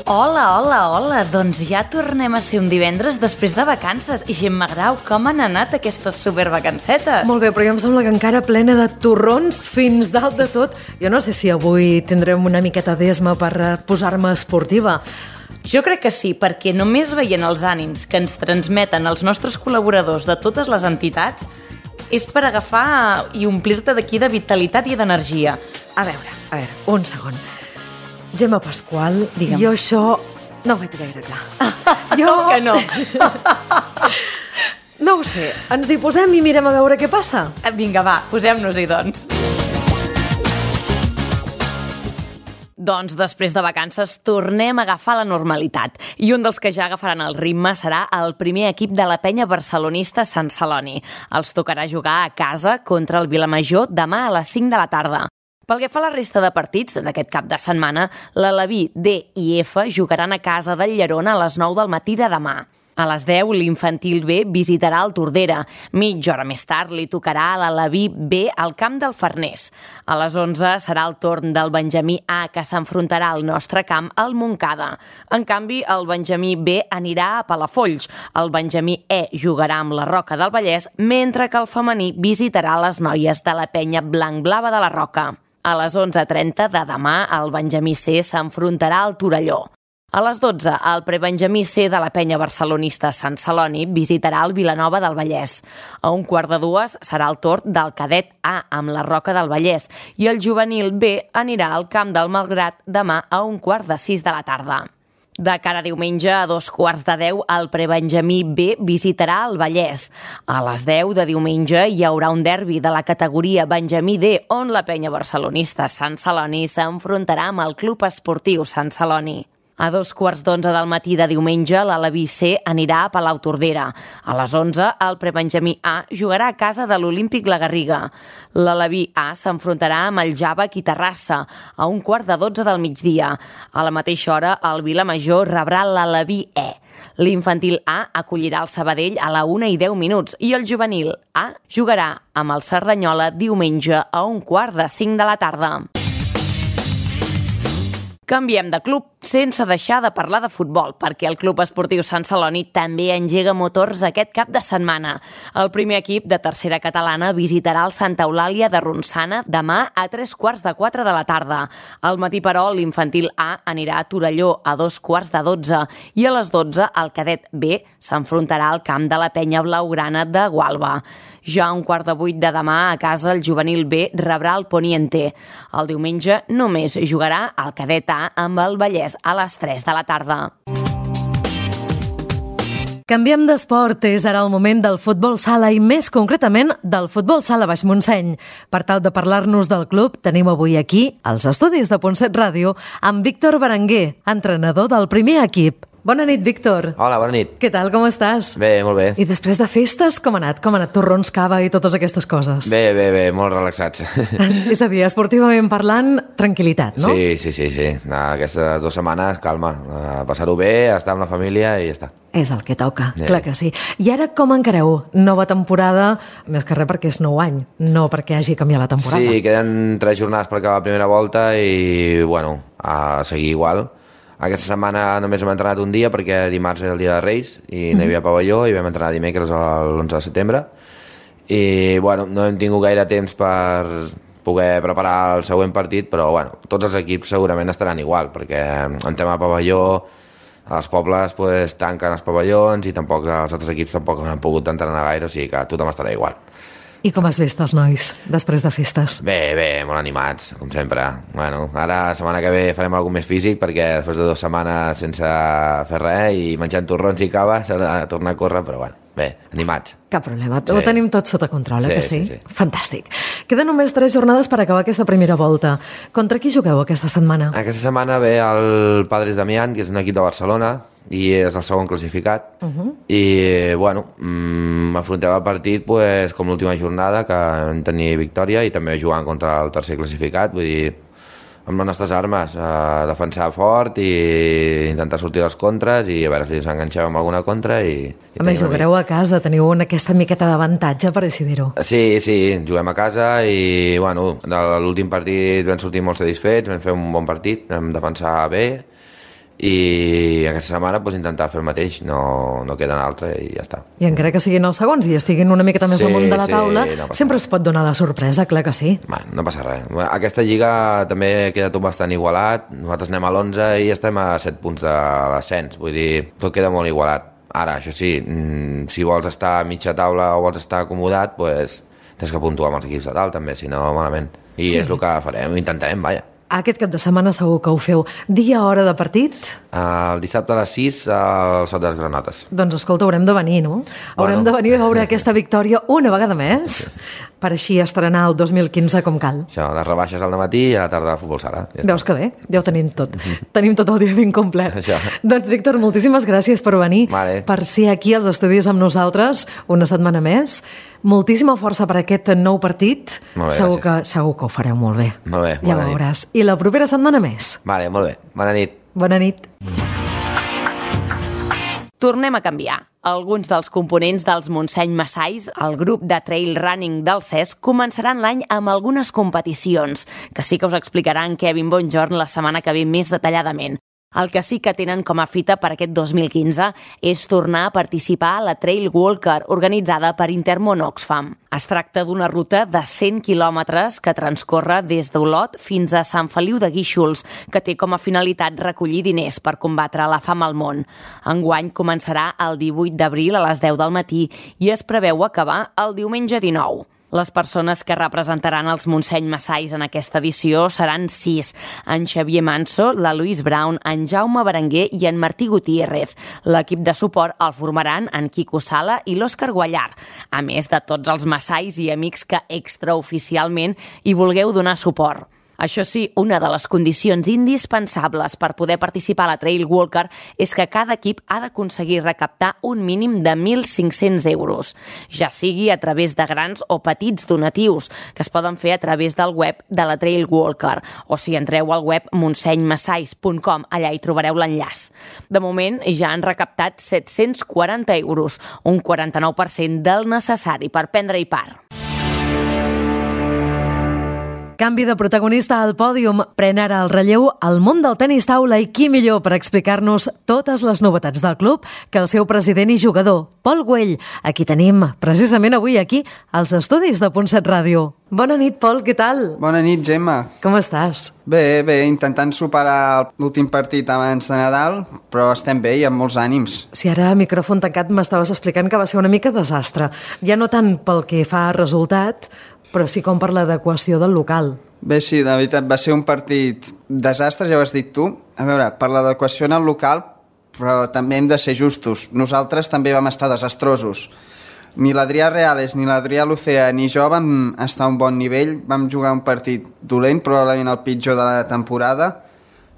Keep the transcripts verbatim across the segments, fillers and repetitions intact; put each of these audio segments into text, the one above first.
Hola, hola, hola. Doncs ja tornem a ser un divendres després de vacances. I Gemma Grau, com han anat aquestes supervacancetes? Molt bé, però jo em sembla que encara plena de torrons fins dalt de tot. Jo no sé si avui tindrem una miqueta d'esma per posar-me esportiva. Jo crec que sí, perquè només veient els ànims que ens transmeten els nostres col·laboradors de totes les entitats és per agafar i omplir-te d'aquí de vitalitat i d'energia. A veure, a veure, un segon. Gemma Pasqual, Digue'm. Jo això no ho veig gaire clar. Jo... Com que no? No ho sé, ens hi posem i mirem a veure què passa? Vinga, va, posem-nos-hi, doncs. Doncs després de vacances tornem a agafar la normalitat i un dels que ja agafaran el ritme serà el primer equip de la penya barcelonista Sant Celoni. Els tocarà jugar a casa contra el Vilamajor demà a les cinc de la tarda. Pel que fa a la resta de partits d'aquest cap de setmana, l'Aleví D i F jugaran a casa del Llerona a les nou del matí de demà. A les deu, l'infantil B visitarà el Tordera. Mitja hora més tard li tocarà a l'Aleví B al camp del Farners. A les onze serà el torn del Benjamí A, que s'enfrontarà al nostre camp al Montcada. En canvi, el Benjamí B anirà a Palafolls. El Benjamí E jugarà amb la Roca del Vallès, mentre que el femení visitarà les noies de la penya blanc-blava de la Roca. A les onze trenta de demà, el Benjamí C s'enfrontarà al Torelló. A les dotze, el prebenjamí C de la penya barcelonista Sant Celoni visitarà el Vilanova del Vallès. A un quart de dues serà el torn del cadet A amb la Roca del Vallès i el juvenil B anirà al camp del Malgrat demà a un quart de sis de la tarda. De cara a diumenge, a dos quarts de deu, el prebenjamí B visitarà el Vallès. A les deu de diumenge hi haurà un derbi de la categoria Benjamí D, on la penya barcelonista Sant Celoni s'enfrontarà amb el Club Esportiu Sant Celoni. A dos quarts d'onze del matí de diumenge, l'Aleví C anirà a Palautordera. A les onze, el prebenjamí A jugarà a casa de l'Olímpic La Garriga. L'Aleví A s'enfrontarà amb el Jàvec i Terrassa a un quart de dotze del migdia. A la mateixa hora, el Vilamajor rebrà l'Aleví E. L'infantil A acollirà el Sabadell a la una i deu minuts i el juvenil A jugarà amb el Cerdanyola diumenge a un quart de cinc de la tarda. Canviem de club sense deixar de parlar de futbol, perquè el Club Esportiu Sant Celoni també engega motors aquest cap de setmana. El primer equip de tercera catalana visitarà el Santa Eulàlia de Ronçana demà a tres quarts de quatre de la tarda. Al matí, però, l'infantil A anirà a Torelló a dos quarts de dotze i a les dotze el cadet B s'enfrontarà al camp de la penya blaugrana de Gualba. Ja a un quart de vuit de demà a casa el juvenil B rebrà el Poniente. El diumenge només jugarà el cadet A amb el Vallès a les tres de la tarda. Canviem d'esport, és ara el moment del futbol sala i més concretament del futbol sala Baix Montseny. Per tal de parlar-nos del club, tenim avui aquí, als estudis de Pontset Ràdio, amb Víctor Berenguer, entrenador del primer equip. Bona nit, Víctor. Hola, bona nit. Què tal, com estàs? Bé, molt bé. I després de festes, com ha anat? Com ha anat torrons, cava i totes aquestes coses? Bé, bé, bé, molt relaxats. És a dir, esportivament parlant, tranquil·litat, no? Sí, sí, sí, sí. Aquestes dues setmanes, calma, passar-ho bé, estar amb la família i ja està. És el que toca, Sí. clar que sí. I ara com encareu? Nova temporada, més que res perquè és nou any, no perquè hagi canviat la temporada. Sí, queden tres jornades per acabar la primera volta i, bueno, a seguir igual. Aquesta setmana només hem entrenat un dia perquè dimarts era el dia de Reis i no hi havia pavelló i vam entrenar dimecres l'onze de setembre i bueno, no hem tingut gaire temps per poder preparar el següent partit, però bueno, tots els equips segurament estaran igual perquè en tema de pavelló els pobles pues, tanquen els pavellons i tampoc els altres equips tampoc han pogut entrenar gaire, o sigui que tothom estarà igual. I com has vist els nois després de festes? Bé, bé, molt animats, com sempre. Bueno, ara, la setmana que ve farem alguna més físic perquè després de dues setmanes sense fer res i menjant torrons i cava s'ha de tornar a córrer, però bueno, bé, animats. Cap problema, Sí. ho tenim tot sota control, eh, Sí, que sí? sí, sí. Fantàstic. Queden només tres jornades per acabar aquesta primera volta. Contra qui jugueu aquesta setmana? Aquesta setmana ve el Padres Damián, que és un equip de Barcelona, i és el segon classificat. Uh -huh. I, bueno, mm, afrontem el partit pues, com l'última jornada, que vam tenir victòria, i també jugant contra el tercer classificat, vull dir, amb les nostres armes, eh, defensar fort i intentar sortir dels contres i a veure si ens enganxem amb alguna contra. I, i A més, jugareu a casa, teniu una, aquesta miqueta d'avantatge, per així dir-ho. Sí, sí, juguem a casa i, bueno, de l'últim partit vam sortir molt satisfets, vam fer un bon partit, vam defensar bé i aquesta setmana pues, intentar fer el mateix, no, no queda una altra i ja està. I encara que siguin els segons i estiguin una miqueta més Sí, al món de la sí, taula, no passa sempre res. es pot donar la sorpresa, clar que sí. Bueno, no passa res. Aquesta lliga també queda tot bastant igualat. Nosaltres anem a l'onze i estem a set punts de l'ascens. Vull dir, tot queda molt igualat. Ara, això sí, si vols estar a mitja taula o vols estar acomodat, pues, tens que puntuar amb els equips de dalt també, si no, malament. I Sí. és el que farem, intentarem, vaja. Aquest cap de setmana segur que ho feu. Dia, hora de partit? El dissabte a les sis al Sot de les Granotes. Doncs escolta, haurem de venir, no? Haurem Bueno. de venir a veure aquesta victòria una vegada més, per així estrenar el dos mil quinze com cal. Això, les rebaixes al matí i a la tarda a futbol sala. Ja està. Veus que bé? Ja ho tenim tot. Tenim tot el dia ben complet. Això. Doncs, Víctor, moltíssimes gràcies per venir, Vale. per ser aquí als estudis amb nosaltres una setmana més. Moltíssima força per aquest nou partit. Molt bé, segur, gràcies. que, segur que ho fareu molt bé. Molt bé, Ja bona nit. veuràs. I la propera setmana més. Vale, molt bé. Bona nit. Bona nit. Tornem a canviar. Alguns dels components dels Montseny Massais, el grup de trail running del C E S, començaran l'any amb algunes competicions, que sí que us explicarà en Kevin Bonjorn la setmana que ve més detalladament. El que sí que tenen com a fita per aquest dos mil quinze és tornar a participar a la Trail Walker organitzada per Intermón Oxfam. Es tracta d'una ruta de cent quilòmetres que transcorre des d'Olot fins a Sant Feliu de Guíxols, que té com a finalitat recollir diners per combatre la fam al món. Enguany començarà el divuit d'abril a les deu del matí i es preveu acabar el diumenge dinou. Les persones que representaran els Montseny Massais en aquesta edició seran sis: en Xavier Manso, la Louise Brown, en Jaume Berenguer i en Martí Gutiérrez. L'equip de suport el formaran en Quico Sala i l'Òscar Guallar, a més de tots els massais i amics que extraoficialment hi vulgueu donar suport. Això sí, una de les condicions indispensables per poder participar a la Trail Walker és que cada equip ha d'aconseguir recaptar un mínim de mil cinc-cents euros, ja sigui a través de grans o petits donatius, que es poden fer a través del web de la Trail Walker, o si entreu al web montseny massais punt com, allà hi trobareu l'enllaç. De moment ja han recaptat set-cents quaranta euros, un quaranta-nou per cent del necessari per prendre-hi part. Canvi de protagonista al pòdium, pren ara el relleu al món del tenis taula i qui millor per explicar-nos totes les novetats del club que el seu president i jugador, Pol Güell, a qui tenim precisament avui aquí als estudis de Punt set Ràdio. Bona nit, Pol, què tal? Bona nit, Gemma. Com estàs? Bé, bé, intentant superar l'últim partit abans de Nadal, però estem bé i amb molts ànims. Si ara a micròfon tancat m'estaves explicant que va ser una mica desastre, ja no tant pel que fa a resultat, però sí com per l'adequació del local. Bé, sí, de veritat, va ser un partit desastre, ja ho has dit tu. A veure, per l'adequació en el local, però també hem de ser justos. Nosaltres també vam estar desastrosos. Ni l'Adrià Reales, ni l'Adrià Lucea, ni jo vam estar a un bon nivell. Vam jugar un partit dolent, probablement el pitjor de la temporada.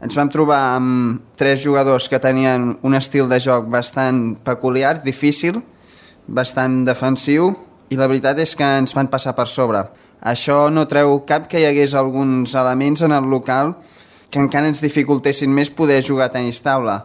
Ens vam trobar amb tres jugadors que tenien un estil de joc bastant peculiar, difícil, bastant defensiu, i la veritat és que ens van passar per sobre. Això no treu cap que hi hagués alguns elements en el local que encara ens dificultessin més poder jugar a tenis taula.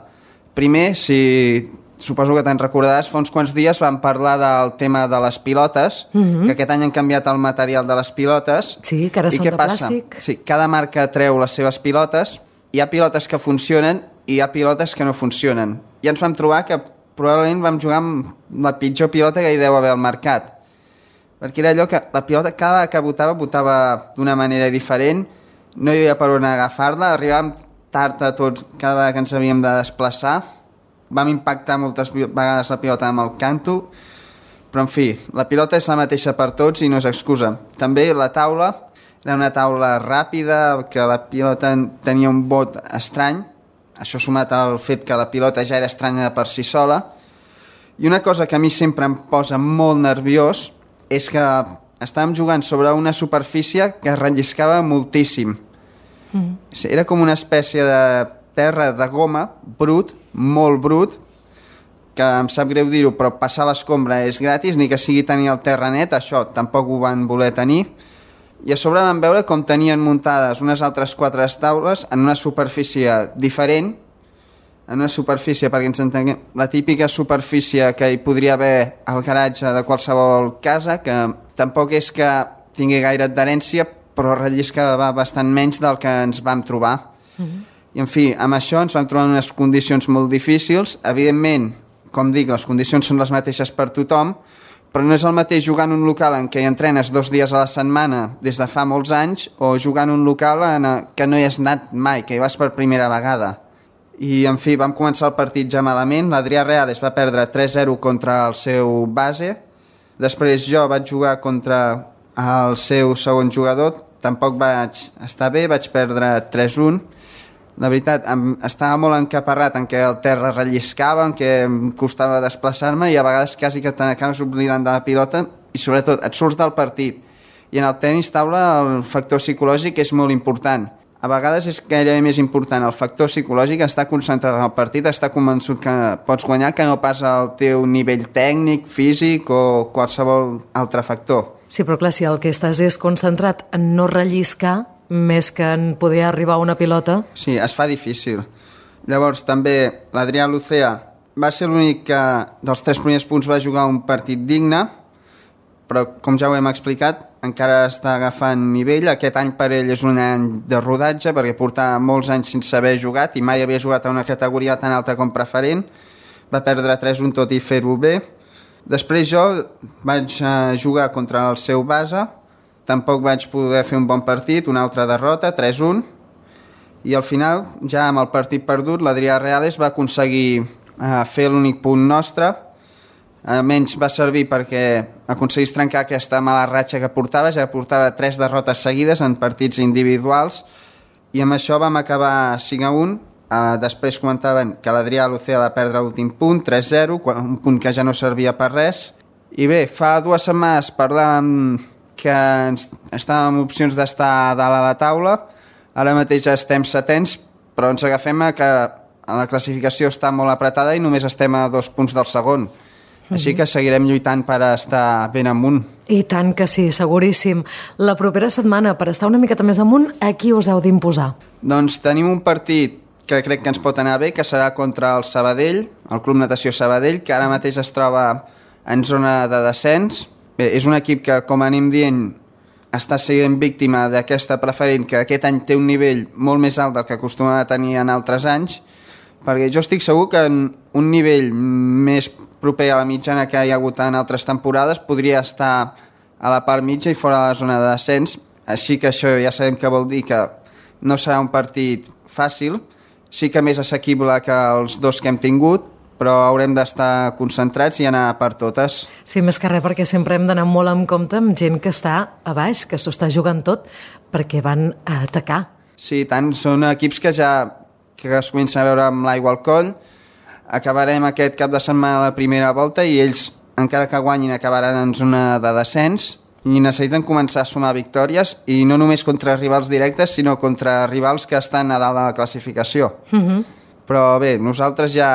Primer, si suposo que te'n recordaràs, fa uns quants dies vam parlar del tema de les pilotes, mm-hmm. que aquest any han canviat el material de les pilotes. Sí, que ara I són què de passa? plàstic. Sí, cada marca treu les seves pilotes, hi ha pilotes que funcionen i hi ha pilotes que no funcionen. I ens vam trobar que probablement vam jugar amb la pitjor pilota que hi deu haver al mercat. Perquè era allò que la pilota cada vegada que botava, botava d'una manera diferent, no hi havia per on agafar-la, arribàvem tard a tots cada vegada que ens havíem de desplaçar, vam impactar moltes vegades la pilota amb el canto, però en fi, la pilota és la mateixa per tots i no és excusa. També la taula era una taula ràpida, que la pilota tenia un bot estrany, això sumat al fet que la pilota ja era estranya per si sola, i una cosa que a mi sempre em posa molt nerviós és que estàvem jugant sobre una superfície que es relliscava moltíssim. Mm. Era com una espècie de terra de goma, brut, molt brut, que em sap greu dir-ho, però passar l'escombra és gratis, ni que sigui tenir el terra net, això tampoc ho van voler tenir. I a sobre vam veure com tenien muntades unes altres quatre taules en una superfície diferent, en una superfície, perquè ens entenguem, la típica superfície que hi podria haver al garatge de qualsevol casa, que tampoc és que tingui gaire adherència, però relliscava bastant menys del que ens vam trobar. Mm-hmm. I, en fi, amb això ens vam trobar en unes condicions molt difícils. Evidentment, com dic, les condicions són les mateixes per tothom, però no és el mateix jugar en un local en què hi entrenes dos dies a la setmana des de fa molts anys o jugar en un local en què no hi has anat mai, que hi vas per primera vegada. I, en fi, vam començar el partit ja malament. L'Adrià Reales va perdre tres zero contra el seu base. Després jo vaig jugar contra el seu segon jugador. Tampoc vaig estar bé, vaig perdre tres un. La veritat, em, estava molt encaparrat en què el terra relliscava, en què em costava desplaçar-me i a vegades quasi que te n'acabes oblidant de la pilota i sobretot et surts del partit. I en el tenis taula el factor psicològic és molt important. A vegades és gairebé més important el factor psicològic, estar concentrat en el partit, estar convençut que pots guanyar, que no pas el teu nivell tècnic, físic o qualsevol altre factor. Sí, però clar, si el que estàs és concentrat en no relliscar més que en poder arribar a una pilota... Sí, es fa difícil. Llavors, també l'Adrià Lucea va ser l'únic que dels tres primers punts va jugar un partit digne, però, com ja ho hem explicat, encara està agafant nivell. Aquest any per ell és un any de rodatge, perquè portava molts anys sense haver jugat i mai havia jugat a una categoria tan alta com preferent. Va perdre tres un tot i fer-ho bé. Després jo vaig jugar contra el seu base, tampoc vaig poder fer un bon partit, una altra derrota, tres un, i al final, ja amb el partit perdut, l'Adrià Reales va aconseguir eh, fer l'únic punt nostre. Almenys va servir perquè aconseguís trencar aquesta mala ratxa que portava, ja portava tres derrotes seguides en partits individuals, i amb això vam acabar cinc a un. Uh, després comentaven que l'Adrià Lucea va perdre l'últim punt, tres zero, un punt que ja no servia per res. I bé, fa dues setmanes parlàvem que ens, estàvem en opcions d'estar dalt a la taula, ara mateix ja estem setens, però ens agafem a que la classificació està molt apretada i només estem a dos punts del segon. Així que seguirem lluitant per estar ben amunt. I tant que sí, seguríssim. La propera setmana, per estar una miqueta més amunt, a qui us heu d'imposar? Doncs tenim un partit que crec que ens pot anar bé, que serà contra el Sabadell, el Club Natació Sabadell, que ara mateix es troba en zona de descens. Bé, és un equip que, com anem dient, està sent víctima d'aquesta preferent, que aquest any té un nivell molt més alt del que acostumava a tenir en altres anys, perquè jo estic segur que en un nivell més proper a la mitjana que hi ha hagut en altres temporades podria estar a la part mitja i fora de la zona de descens, així que això ja sabem que vol dir que no serà un partit fàcil, sí que més assequible que els dos que hem tingut, però haurem d'estar concentrats i anar per totes. Sí, més que res, perquè sempre hem d'anar molt en compte amb gent que està a baix, que s'ho està jugant tot, perquè van a atacar. Sí, tant, són equips que ja que es comença a veure amb l'aigua al coll. Acabarem aquest cap de setmana la primera volta i ells, encara que guanyin, acabaran en zona de descens i necessiten començar a sumar victòries, i no només contra rivals directes, sinó contra rivals que estan a dalt de la classificació. Uh-huh. Però bé, nosaltres ja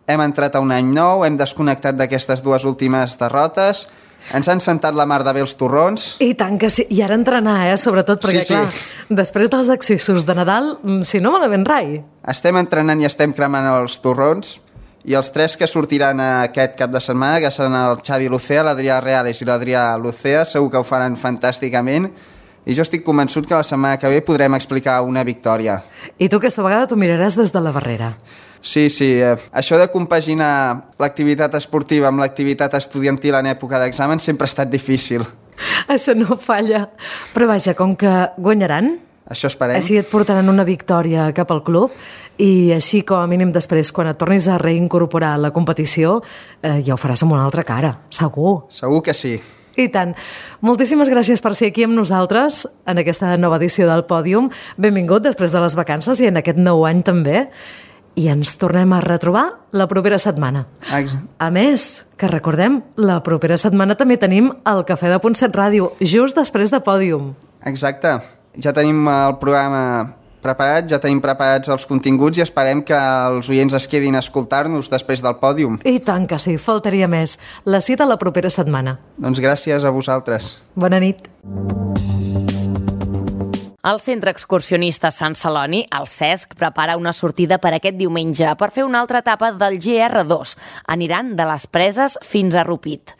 hem entrat a un any nou, hem desconnectat d'aquestes dues últimes derrotes, ens han sentat la mar de bé els torrons. I tant que sí, i ara entrenar, eh, sobretot, perquè sí, sí. clar, després dels accessos de Nadal, si no malament rai. Estem entrenant i estem cremant els torrons, i els tres que sortiran aquest cap de setmana, que seran el Xavi Lucea, l'Adrià Reales i l'Adrià Lucea, segur que ho faran fantàsticament, i jo estic convençut que la setmana que ve podrem explicar una victòria. I tu aquesta vegada t'ho miraràs des de la barrera. Sí, sí, eh, això de compaginar l'activitat esportiva amb l'activitat estudiantil en època d'examen sempre ha estat difícil. Això no falla. Però vaja, com que guanyaran, això esperem. Així et portaran una victòria cap al club i així, com a mínim, després, quan et tornis a reincorporar a la competició, eh, ja ho faràs amb una altra cara, segur. Segur que sí. I tant. Moltíssimes gràcies per ser aquí amb nosaltres en aquesta nova edició del Pòdium. Benvingut després de les vacances i en aquest nou any també. I ens tornem a retrobar la propera setmana. Exacte. A més, que recordem, la propera setmana també tenim el Cafè de Punt set Ràdio, just després de Pòdium. Exacte. Ja tenim el programa preparat, ja tenim preparats els continguts i esperem que els oients es quedin a escoltar-nos després del Pòdium. I tant que sí, faltaria més. La cita la propera setmana. Doncs gràcies a vosaltres. Bona nit. El Centre Excursionista Sant Celoni, el CESC, prepara una sortida per aquest diumenge per fer una altra etapa del G R dos. Aniran de les Preses fins a Rupit.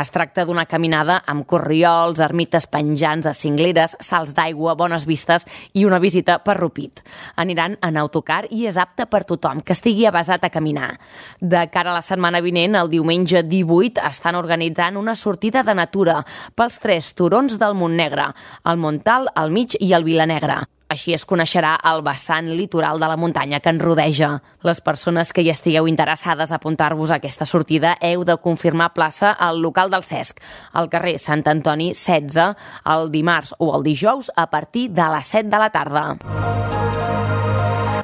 Es tracta d'una caminada amb corriols, ermites penjants a cingleres, salts d'aigua, bones vistes i una visita per Rupit. Aniran en autocar i és apte per tothom que estigui avasat a caminar. De cara a la setmana vinent, el diumenge divuit, estan organitzant una sortida de natura pels tres turons del Montnegre, el Montal, el Mig i el Vilanegra. Així es coneixerà el vessant litoral de la muntanya que en rodeja. Les persones que hi estigueu interessades a apuntar-vos a aquesta sortida heu de confirmar plaça al local del Cesc, al carrer Sant Antoni setze, el dimarts o el dijous a partir de les set de la tarda.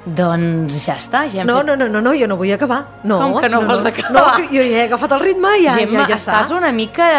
Doncs ja està, ja hem No, fet... no, no, no, no, jo no vull acabar. No, Com que no, no vols no. acabar? No, que jo ja he agafat el ritme i ja, Gemma, ja, ja està. estàs una mica...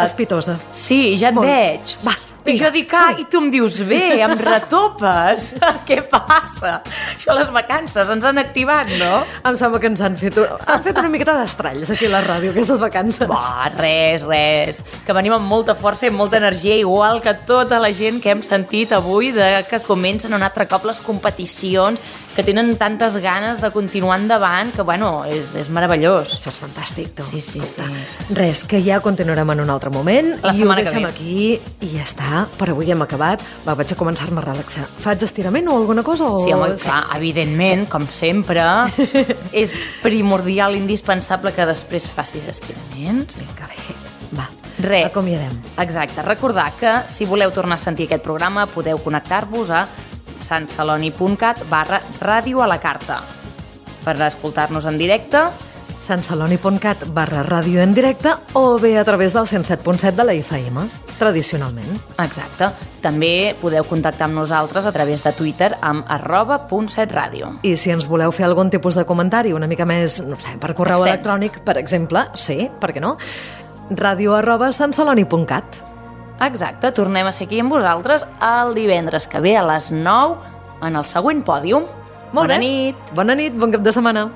Espitosa. Sí, ja et Molt. veig. Va, I vinga, jo dic, ah, som-hi. i tu em dius, bé, em retopes. Què passa? Això les vacances ens han activat, no? Em sembla que ens han fet, un, han fet una miqueta d'estralls aquí a la ràdio, aquestes vacances. Bah, res, res. Que venim amb molta força i amb molta sí. energia, igual que tota la gent que hem sentit avui de que comencen un altre cop les competicions, que tenen tantes ganes de continuar endavant, que, bueno, és, és meravellós. Això és fantàstic, tu. Sí, sí, Escolta, sí. Res, que ja continuarem en un altre moment. La i ho setmana que deixem ve. aquí i ja està. Per avui hem acabat. Va, vaig a començar-me a relaxar. Faig estirament o alguna cosa? O... Sí, home, clar, sí, evidentment, sí. com sempre, és primordial, indispensable que després facis estiraments. Vinga, bé. Va, Res. acomiadem. Exacte. Recordar que si voleu tornar a sentir aquest programa podeu connectar-vos a santceloni.cat barra ràdio a la carta per escoltar-nos en directe. santceloni.cat barra ràdio en directe o bé a través del cent set punt set de la F M, tradicionalment. Exacte. També podeu contactar amb nosaltres a través de Twitter amb arroba punt set ràdio. I si ens voleu fer algun tipus de comentari una mica més, no sé, per correu Extens. electrònic, per exemple, sí, per què no? ràdio arroba santceloni.cat. Exacte. Tornem a ser aquí amb vosaltres el divendres que ve a les nou en el següent pòdium. Molt Bona bé. nit. Bona nit, bon cap de setmana.